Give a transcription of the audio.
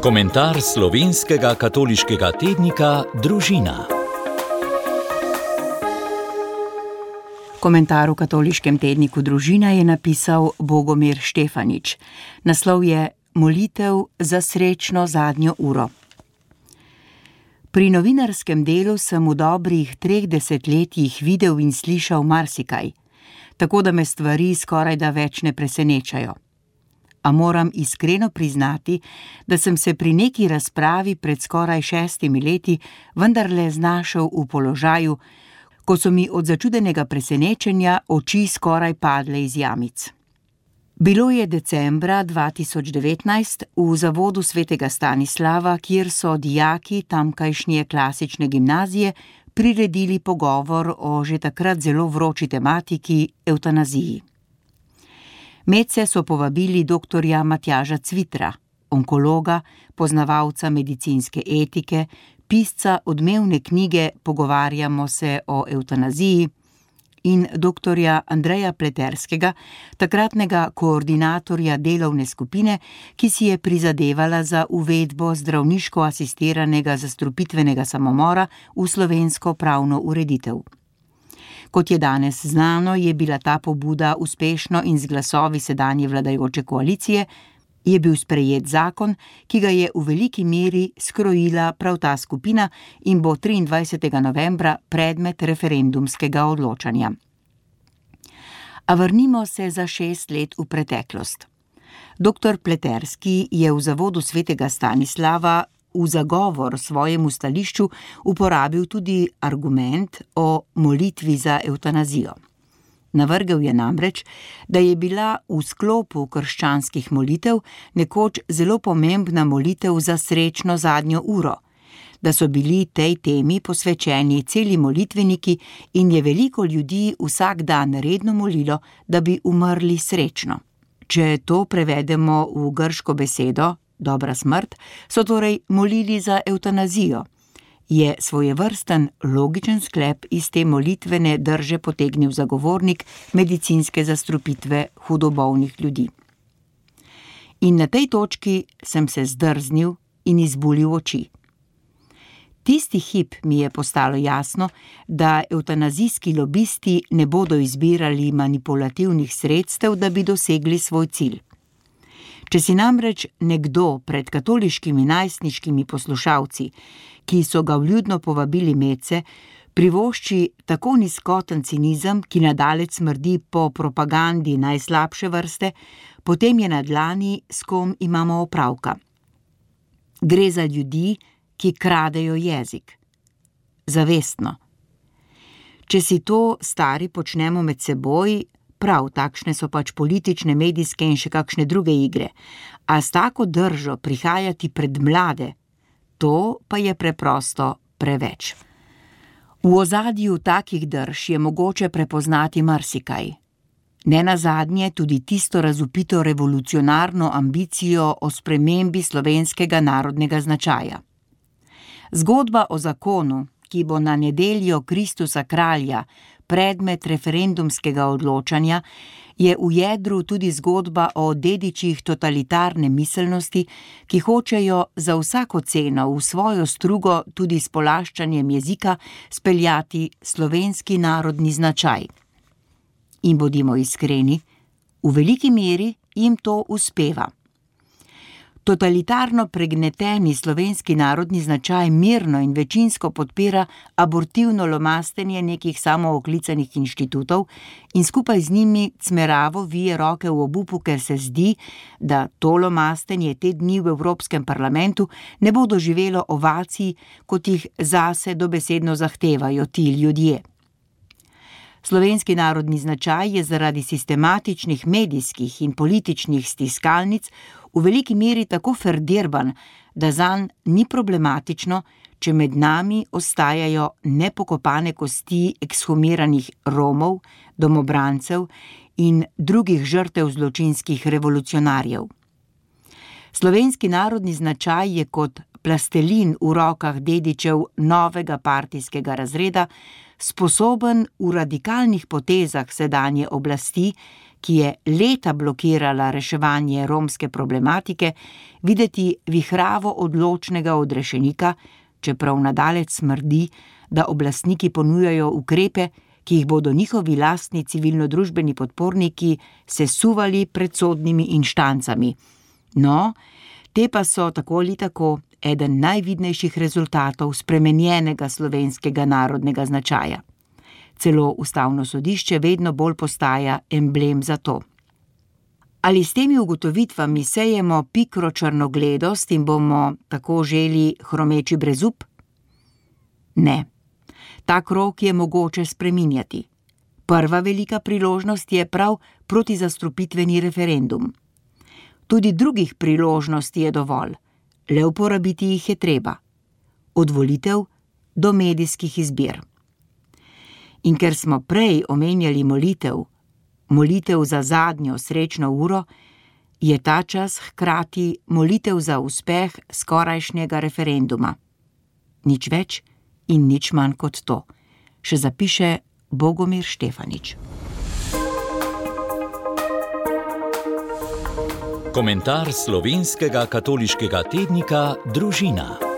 Komentar slovenskega katoliškega tednika Družina. Komentar v katoliškem tedniku Družina je napisal Bogomir Štefanič. Naslov je Molitev za srečno zadnjo uro. Pri novinarskem delu sem v dobrih 3 desetletjih videl in slišal marsikaj, tako da me stvari skorajda več ne presenečajo. A moram iskreno priznati, da sem se pri neki razpravi pred skoraj 6 leti vendarle znašel v položaju, ko so mi od začudenega presenečenja oči skoraj padle iz jamic. Bilo je decembra 2019 v zavodu svetega Stanislava, kjer so dijaki tamkajšnje klasične gimnazije priredili pogovor o že takrat zelo vroči tematiki evtanaziji. Medse so povabili doktorja Matjaža Cvitra, onkologa, poznavalca medicinske etike, pisca odmevne knjige Pogovarjamo se o evtanaziji, in doktorja Andreja Pleterskega, takratnega koordinatorja delovne skupine, ki si je prizadevala za uvedbo zdravniško asistiranega zastrupitvenega samomora v slovensko pravno ureditev. Kot je danes znano, je bila ta pobuda uspešno in z glasovi sedanje vladajoče koalicije je bil sprejet zakon, ki ga je v veliki meri skrojila prav ta skupina in bo 23. novembra predmet referendumskega odločanja. A vrnimo se za 6 let v preteklost. Doktor Pleterski je v zavodu svetega Stanislava v zagovor svojemu stališču uporabil tudi argument o molitvi za evtanazijo. Navrgel je namreč, da je bila v sklopu krščanskih molitev nekoč zelo pomembna molitev za srečno zadnjo uro, da so bili tej temi posvečeni celi molitveniki in je veliko ljudi vsak dan redno molilo, da bi umrli srečno. Če to prevedemo v grško besedo, dobra smrt, so torej molili za evtanazijo, je svojevrsten logičen sklep iz te molitvene drže potegnil zagovornik medicinske zastrupitve hudobolnih ljudi. In na tej točki sem se zdrznil in izbulil oči. Tisti hip mi je postalo jasno, da evtanazijski lobisti ne bodo izbirali manipulativnih sredstev, da bi dosegli svoj cilj. Če si namreč nekdo pred katoliškimi najstniškimi poslušalci, ki so ga vljudno povabili medse, privošči tako nizkoten cinizem, ki nadalec smrdi po propagandi najslabše vrste, potem je na dlani, s kom imamo opravka. Gre za ljudi, ki kradejo jezik. Zavestno. Če si to stari počnemo med seboj, prav, takšne so pač politične, medijske in še kakšne druge igre, a s tako držo prihajati pred mlade, to pa je preprosto preveč. V ozadju takih drž je mogoče prepoznati marsikaj. Nenazadnje tudi tisto razvpito revolucionarno ambicijo o spremembi slovenskega narodnega značaja. Zgodba o zakonu, ki bo na nedeljo Kristusa kralja predmet referendumskega odločanja, je v jedru tudi zgodba o dedičih totalitarne miselnosti, ki hočejo za vsako ceno v svojo strugo tudi s polaščanjem jezika speljati slovenski narodni značaj. In bodimo iskreni, v veliki meri jim to uspeva. Totalitarno pregneteni slovenski narodni značaj mirno in večinsko podpira abortivno lomastenje nekih samooklicanih inštitutov in skupaj z njimi cmeravo vije roke v obupu, ker se zdi, da to lomastenje te dni v Evropskem parlamentu ne bo doživelo ovacij, kot jih zase dobesedno zahtevajo ti ljudje. Slovenski narodni značaj je zaradi sistematičnih medijskih in političnih stiskalnic v veliki meri tako ferdirban, da zanj ni problematično, če med nami ostajajo nepokopane kosti ekshumiranih Romov, domobrancev in drugih žrtev zločinskih revolucionarjev. Slovenski narodni značaj je kot plastelin v rokah dedičev novega partijskega razreda, sposoben v radikalnih potezah sedanje oblasti, ki je leta blokirala reševanje romske problematike, videti vihravo odločnega odrešenika, čeprav nadalec smrdi, da oblastniki ponujajo ukrepe, ki jih bodo njihovi lastni civilno-družbeni podporniki sesuvali pred sodnimi inštancami. No, te pa so tako ali tako eden najvidnejših rezultatov spremenjenega slovenskega narodnega značaja. Celo Ustavno sodišče vedno bolj postaja emblem za to. Ali s temi ugotovitvami sejemo pikro črnogledost in bomo tako želi hromeči brezup? Ne. Ta krog je mogoče spreminjati. Prva velika priložnost je prav protizastrupitveni referendum. Tudi drugih priložnosti je dovolj, le uporabiti jih je treba. Od volitev do medijskih izbir. In ker smo prej omenjali molitev za zadnjo srečno uro, je ta čas hkrati molitev za uspeh skorajšnjega referenduma. Nič več in nič manj kot to, še zapiše Bogomir Štefanič. Komentar slovenskega katoliškega tednika Družina.